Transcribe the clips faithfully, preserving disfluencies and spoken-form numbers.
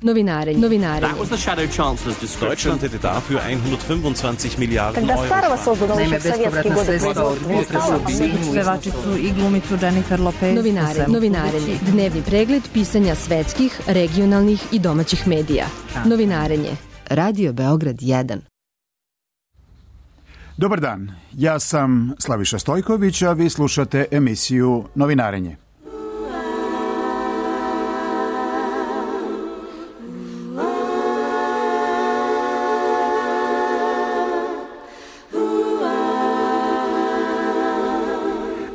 Novinarenje. Novinarenje. That was the shadow chancellor's description. Deutschland hätte dafür hundertfünfundzwanzig Milliarden Когда Euro. старого создано еще в советские годы производства. Pevačicu i glumicu Jennifer Lopez. Novinarenje. Novinarenje. Dnevni pregled pisanja svetskih, regionalnih i domaćih medija. Novinarenje. Radio Beograd jedan. Dobar dan, ja sam Slaviša Stojković, a vi slušate emisiju Novinarenje.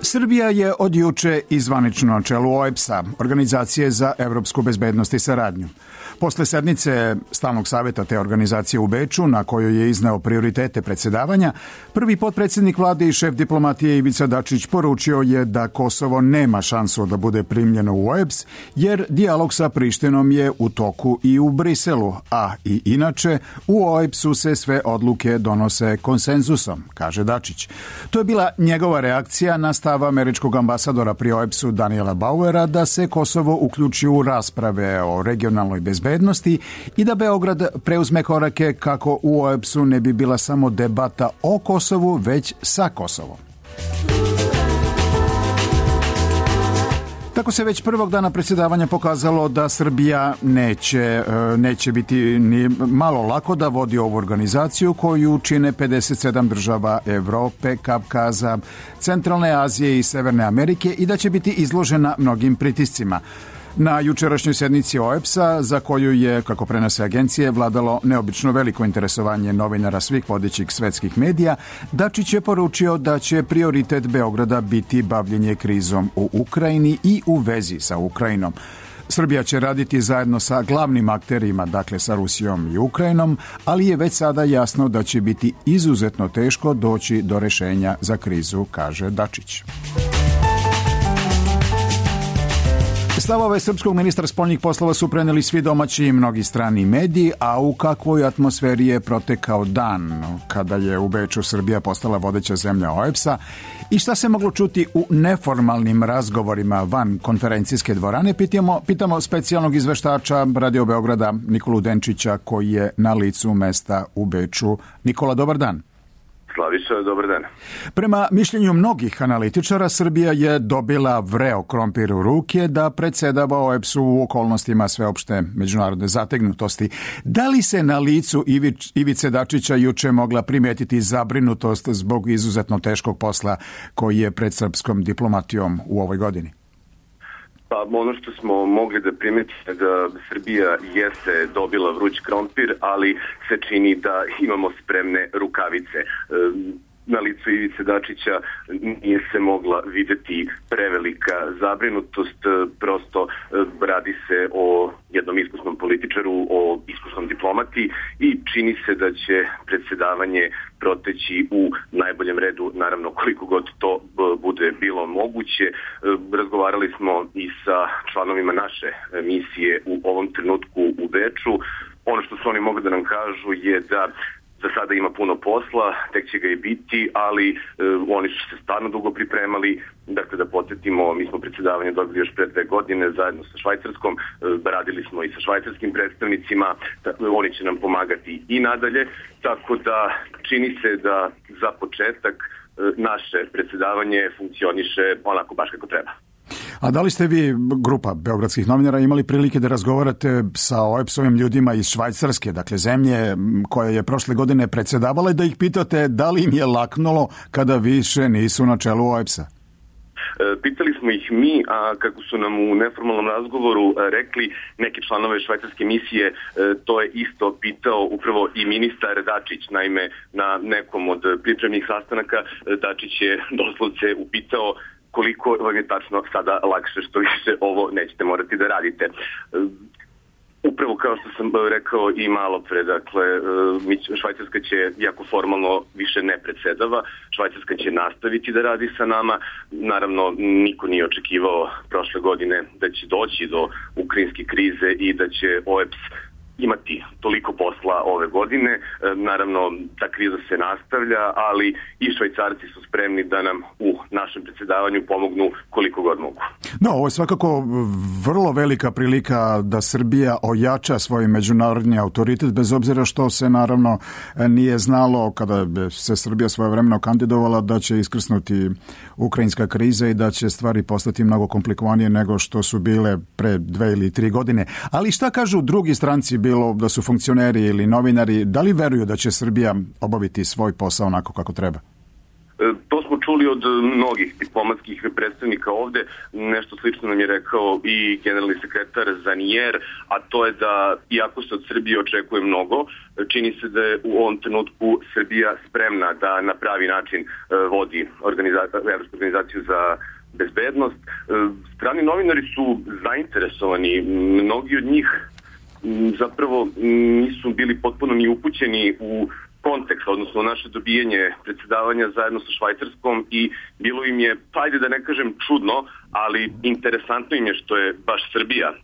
Srbija je od juče i zvanično na čelu O E B S A, Organizacije za evropsku bezbednost i saradnju. Posle sednice Stalnog saveta te organizacije u Beču, na kojoj je izneo prioritete predsjedavanja, prvi potpredsjednik vlade i šef diplomatije Ivica Dačić poručio je da Kosovo nema šansu da bude primljeno u O E B S, jer dijalog sa Prištinom je u toku i u Briselu, a i inače u O E B S-u se sve odluke donose konsenzusom, kaže Dačić. To je bila njegova reakcija na stav američkog ambasadora pri O E B S-u Daniela Bauera da se Kosovo uključi u rasprave o regionalnoj bezbednosti i da Beograd preuzme korake kako u O E B S-u ne bi bila samo debata o Kosovu, već sa Kosovom. Tako se već prvog dana predsjedavanja pokazalo da Srbija neće, neće biti ni malo lako da vodi ovu organizaciju koju čine pedeset sedam država Evrope, Kavkaza, Centralne Azije i Severne Amerike i da će biti izložena mnogim pritiscima. Na jučerašnjoj sednici O E B S-a, za koju je, kako prenose agencije, vladalo neobično veliko interesovanje novinara svih vodećih svetskih medija, Dačić je poručio da će prioritet Beograda biti bavljenje krizom u Ukrajini i u vezi sa Ukrajinom. Srbija će raditi zajedno sa glavnim akterima, dakle sa Rusijom i Ukrajinom, ali je već sada jasno da će biti izuzetno teško doći do rešenja za krizu, kaže Dačić. Stavove srpskog ministra spoljnih poslova su preneli svi domaći i mnogi strani mediji, a u kakvoj atmosferi je protekao dan kada je u Beču Srbija postala vodeća zemlja O E B S-a i šta se moglo čuti u neformalnim razgovorima van konferencijske dvorane, pitamo, pitamo specijalnog izveštača Radio Beograda Nikolu Denčića koji je na licu mesta u Beču. Nikola, dobar dan. Slaviša, dobar dan. Prema mišljenju mnogih analitičara, Srbija je dobila vreo krompir u ruke da predsjedava O E B S-u u okolnostima sveopšte međunarodne zategnutosti. Da li se na licu Ivić, Ivice Dačića juče mogla primetiti zabrinutost zbog izuzetno teškog posla koji je pred srpskom diplomatijom u ovoj godini? Pa ono što smo mogli da primetimo da Srbija jeste dobila vruć krompir, ali se čini da imamo spremne rukavice. Na licu Ivice Dačića nije se mogla videti prevelika zabrinutost, prosto radi se o jednom iskusnom političaru, o iskusnom diplomati i čini se da će predsjedavanje proteći u najboljem redu, naravno koliko god to bude bilo moguće. Razgovarali smo i sa članovima naše misije u ovom trenutku u Beču. Ono što su oni mogli da nam kažu je da za sada ima puno posla, tek će ga i biti, ali e, oni su se stvarno dugo pripremali. Dakle, da podsjetimo, mi smo predsjedavanje dobili još pre dve godine zajedno sa Švajcarskom, e, radili smo i sa švajcarskim predstavnicima, tako, oni će nam pomagati i nadalje, tako da čini se da za početak e, naše predsjedavanje funkcioniše onako baš kako treba. A da li ste vi, grupa beogradskih novinara, imali prilike da razgovarate sa O E B S-ovim ljudima iz Švajcarske, dakle zemlje koja je prošle godine predsjedavala, i da ih pitate da li im je laknulo kada više nisu na čelu O E B S-a? Pitali smo ih mi, a kako su nam u neformalnom razgovoru rekli neki članove švajcarske misije, to je isto pitao upravo i ministar Dačić. Naime, na nekom od pripremnih sastanaka Dačić je doslovce upitao koliko vam je tačno sada lakše, što više ovo nećete morati da radite. Upravo kao što sam rekao i malo pre, dakle, Švajcarska će, jako formalno, više ne predsjedava. Švajcarska će nastaviti da radi sa nama. Naravno, niko nije očekivao prošle godine da će doći do ukrajinske krize i da će O E B S imati toliko posla ove godine. Naravno, ta kriza se nastavlja, ali i Švajcarci su spremni da nam u našem predsjedavanju pomognu koliko god mogu. No, ovo je svakako vrlo velika prilika da Srbija ojača svoj međunarodni autoritet, bez obzira što se naravno nije znalo kada se Srbija svojevremeno kandidovala da će iskrsnuti ukrajinska kriza i da će stvari postati mnogo komplikovanije nego što su bile pre dve ili tri godine. Ali šta kažu drugi stranci, bilo da su funkcioneri ili novinari, da li veruju da će Srbija obaviti svoj posao onako kako treba? To smo čuli od mnogih diplomatskih predstavnika ovde. Nešto slično nam je rekao i generalni sekretar Zanijer, a to je da iako se od Srbije očekuje mnogo, čini se da je u ovom trenutku Srbija spremna da na pravi način vodi organizaciju, Evropsku organizaciju za bezbednost. Strani novinari su zainteresovani, mnogi od njih zapravo nisu bili potpuno ni upućeni u kontekst, odnosno naše dobijanje predsjedavanja zajedno sa Švajcarskom i bilo im je, ajde da ne kažem čudno, ali interesantno im je što je baš Srbija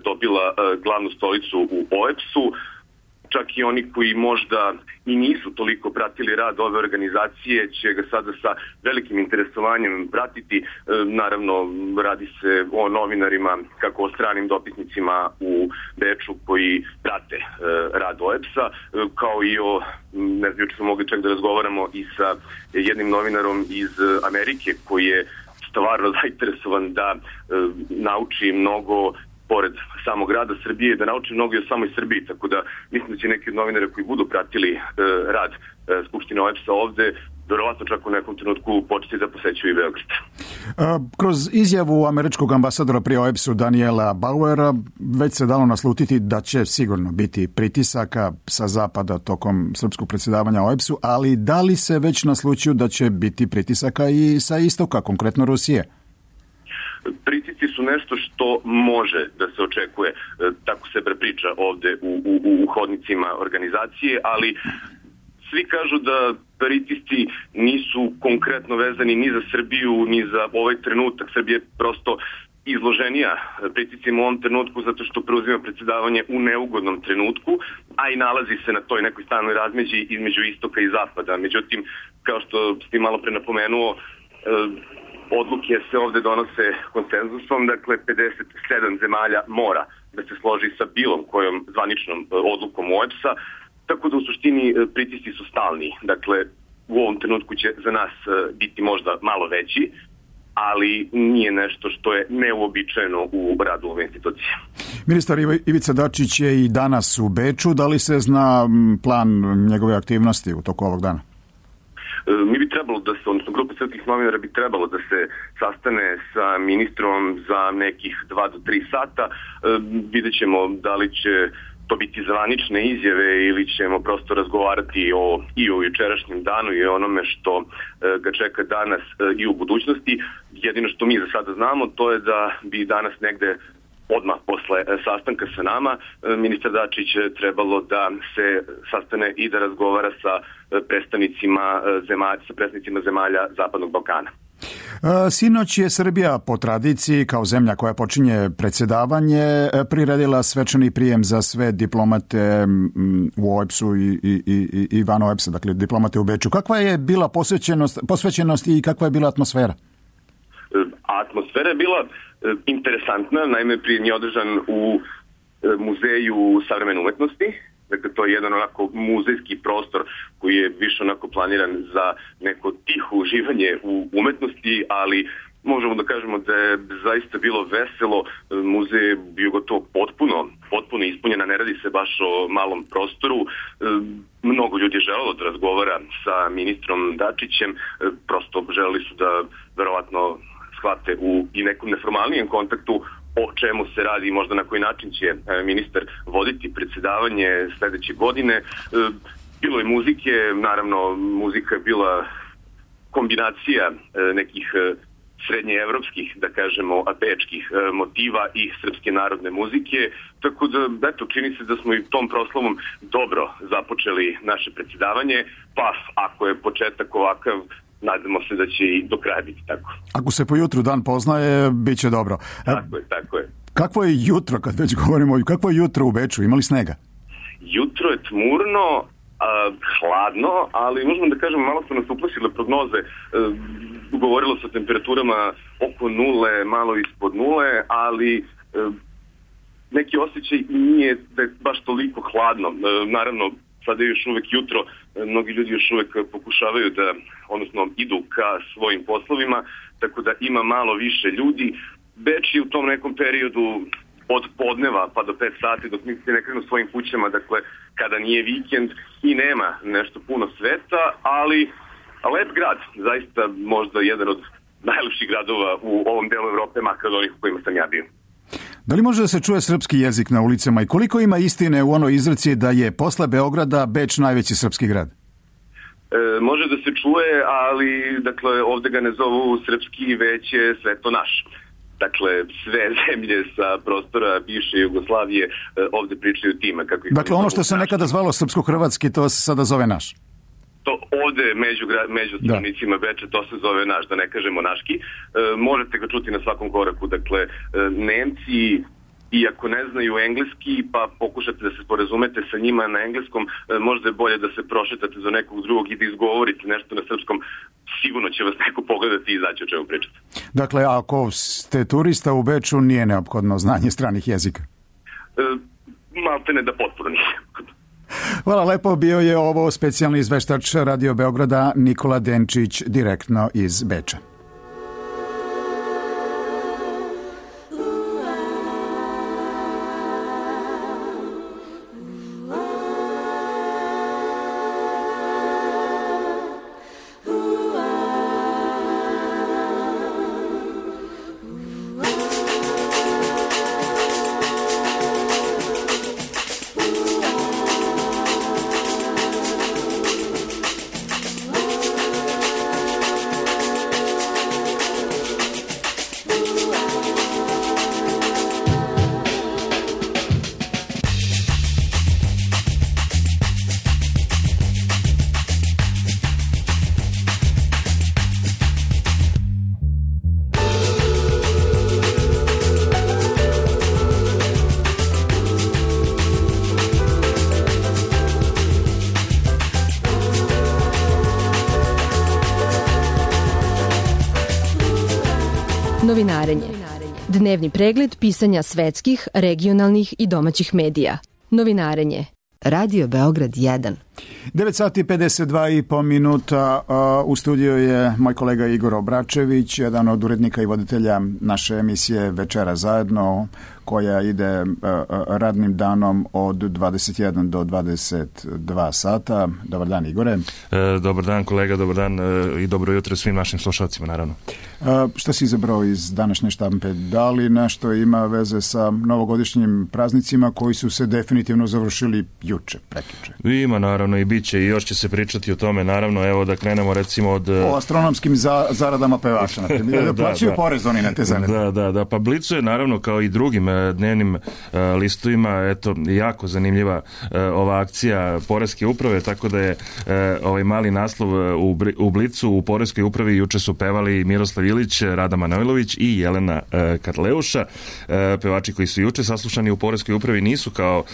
dobila glavnu stolicu u O E P S-u. Čak i oni koji možda i nisu toliko pratili rad ove organizacije će ga sada sa velikim interesovanjem pratiti. Naravno, radi se o novinarima, kako o stranim dopisnicima u Beču koji prate rad O E P S-a, kao i o, ne znam, juče smo mogli čak da razgovaramo i sa jednim novinarom iz Amerike koji je stvarno zainteresovan da nauči mnogo pored samog rada Srbije, da nauči mnogo i o samoj Srbiji, tako da mislim da će neki od novinara koji budu pratili e, rad e, Skupštine O E P S-a ovde, verovatno čak u nekom trenutku početi da posećuju i Beograd. Kroz izjavu američkog ambasadora pri O E P S-u Daniela Bauera već se dalo naslutiti da će sigurno biti pritisaka sa zapada tokom srpskog predsjedavanja O E P S-u, ali da li se već naslućuju da će biti pritisaka i sa istoka, konkretno Rusije? Pritisci su nešto što može da se očekuje, tako se prepriča ovde u, u, u hodnicima organizacije, ali svi kažu da pritisci nisu konkretno vezani ni za Srbiju, ni za ovaj trenutak. Srbija je prosto izloženija pritiscima u ovom trenutku zato što preuzima predsjedavanje u neugodnom trenutku, a i nalazi se na toj nekoj stalnoj razmeđi između istoka i zapada. Međutim, kao što ste malo pre napomenuo, odluke se ovde donose konsenzusom, dakle pedeset sedam zemalja mora da se složi sa bilom kojom zvaničnom odlukom O E P S-a, tako da u suštini pritisci su stalni. Dakle, u ovom trenutku će za nas biti možda malo veći, ali nije nešto što je neuobičajeno u radu ove institucije. Ministar Ivica Dačić je i danas u Beču. Da li se zna plan njegove aktivnosti u toku ovog dana? Mi bi trebalo da se, odnosno grupa srpskih novinara bi trebalo da se sastane sa ministrom za nekih dva do tri sata. Vidjet ćemo da li će to biti zvanične izjave ili ćemo prosto razgovarati o, i o jučerašnjem danu i o onome što ga čeka danas i u budućnosti. Jedino što mi za sada znamo to je da bi danas negde odmah posle sastanka sa nama ministar Dačić trebalo da se sastane i da razgovara sa predstavnicima zemalja, sa predstavnicima zemalja Zapadnog Balkana. Sinoć je Srbija po tradiciji kao zemlja koja počinje predsjedavanje priredila svečani prijem za sve diplomate u O E P S-u i, i, i, i van O E P S-a, dakle diplomate u Beču. Kakva je bila posvećenost, posvećenost i kakva je bila atmosfera? Atmosfera je bila interesantna, naime prijem je održan u Muzeju savremene umetnosti. Dakle, to je jedan onako muzejski prostor koji je više onako planiran za neko tiho uživanje u umetnosti, ali možemo da kažemo da je zaista bilo veselo. Muzej je bio gotovo potpuno, potpuno ispunjen, ne radi se baš o malom prostoru. Mnogo ljudi je želelo da razgovara sa ministrom Dačićem, prosto želeli su da verovatno shvate u i nekom neformalnijem kontaktu o čemu se radi i možda na koji način će ministar voditi predsjedavanje sljedeće godine. Bilo je muzike, naravno muzika je bila kombinacija nekih srednjeevropskih, da kažemo, bečkih motiva i srpske narodne muzike, tako da, eto, čini se da smo i tom proslavom dobro započeli naše predsjedavanje, pa ako je početak ovakav, nadamo se da će i do kraja biti tako. Ako se po jutru dan poznaje, bit će dobro. Tako je, tako je. Kakvo je jutro, kad već govorimo, kakvo je jutro u Beču? Imali snega? jutro je tmurno, a, hladno, ali možemo da kažemo, malo su nas uplašile prognoze. E, govorilo se o temperaturama oko nule, malo ispod nule, ali e, neki osjećaj nije da je baš toliko hladno. E, naravno, sada je još uvek jutro, mnogi ljudi još uvek pokušavaju da, odnosno idu ka svojim poslovima, tako da ima malo više ljudi. Beč je u tom nekom periodu od podneva pa do pet sati dok mi se ne krenu svojim kućama, dakle kada nije vikend i nema nešto puno sveta, ali lep grad, zaista možda jedan od najlepših gradova u ovom delu Evrope, makar od onih u kojima sam ja bio. Da li može da se čuje srpski jezik na ulicama i koliko ima istine u onoj izreci da je posle Beograda Beč najveći srpski grad? E, može da se čuje, ali dakle ovde ga ne zovu srpski, već je sve to naš. Dakle, sve zemlje sa prostora bivše Jugoslavije ovde pričaju time. Kako dakle, ono što se nekada zvalo srpsko-hrvatski, to se sada zove naš. To ovde među, među stanovnicima Beča to se zove naš, da ne kažemo naški. E, možete ga čuti na svakom koraku. Dakle, e, Nemci, iako ne znaju engleski, pa pokušate da se sporazumete sa njima na engleskom, e, možda je bolje da se prošetate za nekog drugog i da izgovorite nešto na srpskom. Sigurno će vas neko pogledati i izaći o čemu pričate. Dakle, ako ste turista u Beču, nije neophodno znanje stranih jezika? E, maltene da potpuno nije. Hvala lepo, bio je ovo specijalni izveštač Radio Beograda Nikola Denčić direktno iz Beča. Novinarenje. Dnevni pregled pisanja svetskih, regionalnih i domaćih medija. Novinarenje. Radio Beograd jedan. devet sati pedeset dva i po minuta. U studiju je moj kolega Igor Obračević, jedan od urednika i voditelja naše emisije Večera zajedno, koja ide radnim danom od dvadeset jedan do dvadeset dva sata. Dobar dan, Igore. E, dobar dan, kolega, dobar dan e, i dobro jutro svim našim slušalcima, naravno. E, šta si izabrao iz današnje štampe? Da li nešto ima veze sa novogodišnjim praznicima koji su se definitivno završili juče, prekjuče? Ima, naravno, i bit će i još će se pričati o tome, naravno, evo da krenemo recimo od... O astronomskim za, zaradama pevača, na primjer, da plaćaju da, porez oni na te zarade. Da, da, da, pa Blicu je naravno kao i drugim dnevnim uh, listovima, eto, jako zanimljiva uh, ova akcija Poreske uprave, tako da je uh, ovaj mali naslov u, u Blicu u Poreskoj upravi juče su pevali Miroslav Ilić, Rada Manojlović i Jelena uh, Karleuša. Uh, pevači koji su juče saslušani u Poreskoj upravi nisu kao uh,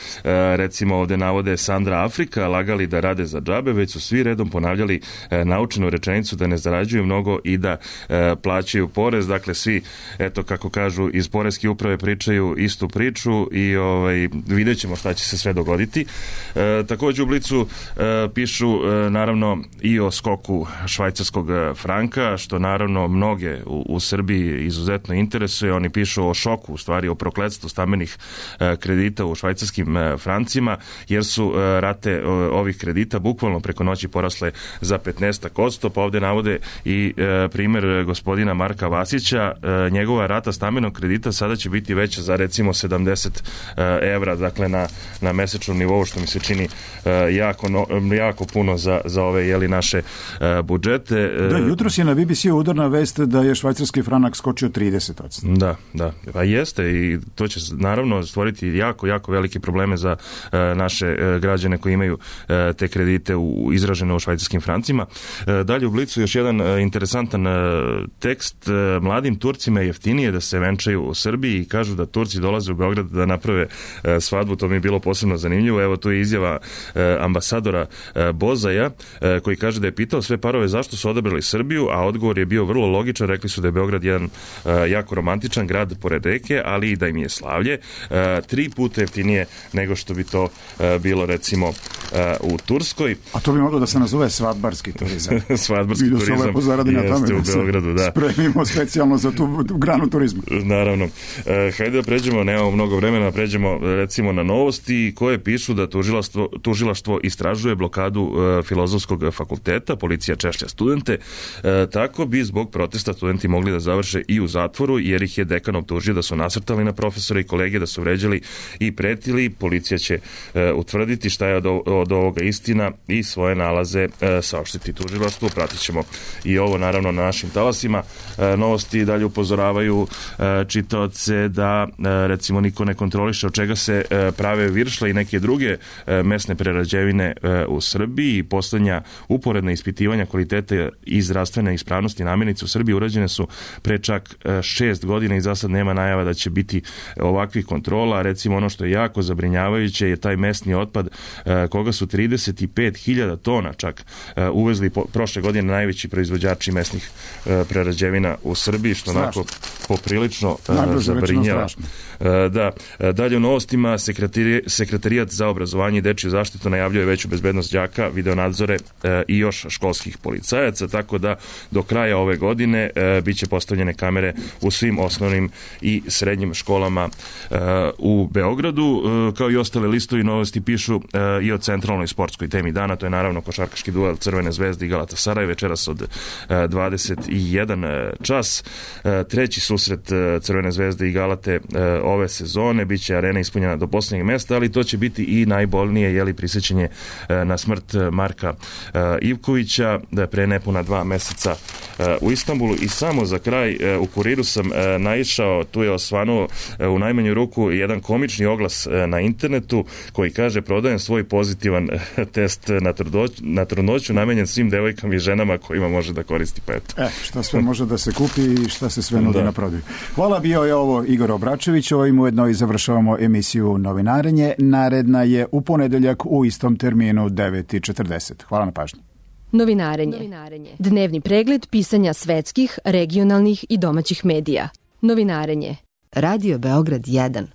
recimo ovde navode Sandra Afrika, lagali da rade za džabe, već su svi redom ponavljali uh, naučenu rečenicu da ne zarađuju mnogo i da uh, plaćaju porez. Dakle, svi, eto, kako kažu, iz Poreske uprave pričaju istu priču i ovaj, vidjet ćemo šta će se sve dogoditi. E, također u Blicu e, pišu e, naravno i o skoku švajcarskog franka, što naravno mnoge u, u Srbiji izuzetno interesuje. Oni pišu o šoku, u stvari o prokletstvu stambenih e, kredita u švajcarskim e, francima, jer su e, rate e, ovih kredita bukvalno preko noći porasle za petnaest posto, pa ovde navode i e, primer gospodina Marka Vasića. E, njegova rata stambenog kredita sada će biti veća za recimo sedamdeset evra, dakle na, na mesečnom nivou, što mi se čini uh, jako, no, jako puno za, za ove jeli, naše uh, budžete. Da, jutros je na B B C udarna vest da je švajcarski franak skočio trideset posto. Da, da, pa jeste i to će naravno stvoriti jako, jako velike probleme za uh, naše uh, građane koji imaju uh, te kredite u, izražene u švajcarskim francima. Dalje u Blicu još jedan interesantan tekst. Mladim Turcima je jeftinije da se venčaju u Srbiji i kažu da Turci dolaze u Beograd da naprave svadbu. To mi je bilo posebno zanimljivo. Evo, tu je izjava ambasadora Bozaja koji kaže da je pitao sve parove zašto su odabrali Srbiju, a odgovor je bio vrlo logičan. Rekli su da je Beograd jedan jako romantičan grad pored reke, ali i da im je slavlje tri puta jeftinije nego što bi to bilo recimo u Turskoj. A to bi moglo da se nazove svadbarski turizam. Svadbarski turizam. Mi da se lepo zaradi na tome, u Beogradu, da. Spremimo specijalno za tu granu turizma. Naravno. E, hajde da pređemo, nemamo mnogo vremena, pređemo recimo na novosti koje pišu da tužilaštvo, tužilaštvo istražuje blokadu e, Filozofskog fakulteta, policija češlja studente, e, tako bi zbog protesta studenti mogli da završe i u zatvoru, jer ih je dekan optužio da su nasrtali na profesore i kolege, da su vređali i pretili. Policija će e, utvrditi šta je od, od ovoga istina i svoje nalaze e, saopštiti tužilaštvu. Pratit ćemo i ovo naravno na našim talasima. E, novosti dalje upozoravaju e, čitaoce da e, recimo niko ne kontroliše od čega se e, prave viršle i neke druge e, mesne prerađevine e, u Srbiji. I poslednja uporedna ispitivanja kvalitete i zdravstvene ispravnosti namirnica u Srbiji urađene su pre čak e, šest godina i za sad nema najava da će biti ovakvih kontrola. Recimo ono što je jako zabrinjavajuće je taj mesni otpad e, koga su trideset pet hiljada tona čak e, uvezli po, prošle godine najveći proizvođači mesnih e, prerađevina u Srbiji, što onako poprilično e, zabrinjava. E, da, dalje u novostima sekretari, sekretarijat za obrazovanje i dečju zaštitu najavljuje veću bezbednost đaka, videonadzore e, i još školskih policajaca, tako da do kraja ove godine e, biće postavljene kamere u svim osnovnim i srednjim školama e, u Beogradu. E, kao i ostale listovi novosti pišu e, i o centralnoj sportskoj temi dana, to je naravno košarkaški duel Crvene zvezde i Galatasaray večeras od e, dvadeset jedan čas. E, treći susret e, Crvene zvezde i Galate e, ove sezone, biće arena ispunjena do poslednjeg mesta, ali to će biti i najbolnije jeli prisjećanje e, na smrt Marka e, Ivkovića da pre nepuna dva meseca e, u Istanbulu. I samo za kraj e, u Kuriru sam e, naišao, tu je osvanuo e, u najmanju ruku jedan komični oglas e, na internetu koji kaže: prodajem svoj pozitivan e, test na, trudoć, na trudnoću namenjen svim devojkama i ženama kojima može da koristi, pa eto. E, šta sve može da se kupi i šta se sve nudi da. na prodaju. Hvala, bio je ovo Igor Obračević, ovim ujedno i završavamo emisiju Novinarenje. Naredna je u ponedeljak u istom terminu devet i četrdeset. Hvala na pažnji. Novinarenje. Novinarenje. Dnevni pregled pisanja svetskih, regionalnih i domaćih medija. Novinarenje. Radio Beograd jedan.